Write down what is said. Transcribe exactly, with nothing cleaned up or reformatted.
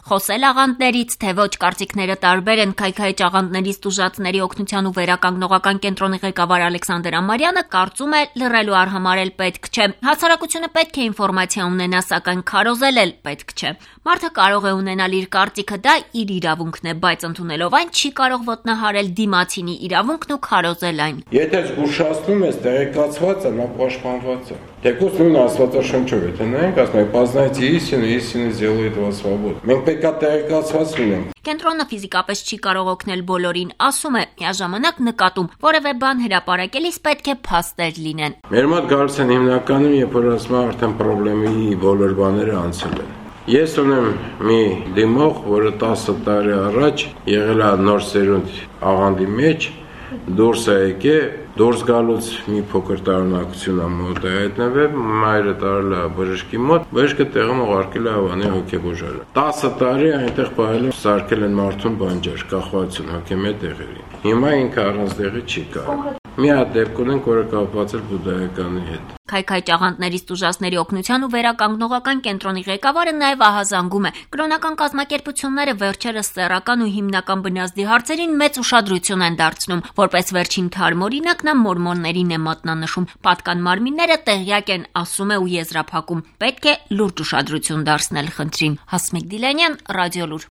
Խոսել աղանդներից, թե ոչ, կարծիքները տարբեր են։ Քայքայիչ աղանդներից տուժածների օգնության ու վերականգնողական կենտրոնի ղեկավար Ալեքսանդր Ամարյանը կարծում է, լռելու արհամարհել պետք չէ։ Հասարակությունը պետք է ինֆորմացիա ունենա, սակայն քարոզել էլ պետք չէ։ Մարդը կարող է ունենալ իր կարծիքը, դա իր իրավունքն է, բայց ընդունելով այն չի կարող ոտնահարել դիմացինի իրավունքն ու քարոզել այն։ Եթե զգուշացնում ես տեղեկացվածը, նա պաշտպանված է։ Թեկուզ նույն Աստվածաշնչով, եթե նայենք, ասում է «Познайте истину, истина сделает вас свободным»։ Մենք պետք է տեղեկացված լինենք։ Կենտրոնը ֆիզիկապես չի կարող օգնել բոլորին, ասում է, միաժամանակ նկատում, որևէ բան հրապարակելիս պետք է փաստեր լինեն։ Մեր մոտ գալիս են հիմնականում, երբ որ ասում են արդեն խնդրի բոլոր բաները անցել են։ Ես ունեմ մի դիմող, որը տասը տարի առաջ եղել է նոր սերունդ աղանդի մեջ, դուրս է եկել, դուրս գալուց մի փոքր տարօրինակություն է մոտ է հայտնվել, մայրը տարել է բժշկի մոտ, բժշկը տեղում ուղարկել է Հավանի հոգեբուժարան։ տասը տարի այնտեղ պահել են, սարքել են մարդուն բանջար, կախվածություն հոգեմետ տեղերի։ Հիմա ինքը առանց տեղի չի կարող։ Մի հատ դեպք ունենք, որը կապված է բուդդայականի հետ։ Քայքայիչ աղանդներից տուժածների օգնության ու վերականգնողական կենտրոնի ղեկավարը նաև ահազանգում է։ Կրոնական կազմակերպությունները վերջերս սեռական ու հիմնական բնազդի հարցերին մեծ ուշադրություն են դարձնում։ Որպես վերջին թարմ օրինակ նա մորմոններին է մատնանշում։ Պատկան մարմինները տեղյակ են, ասում է ու եզրափակում։ Պետք է լուրջ ուշադրություն դարձնել խնդրին։ Հասմիկ Դիլանյան, Ռադիոլուր։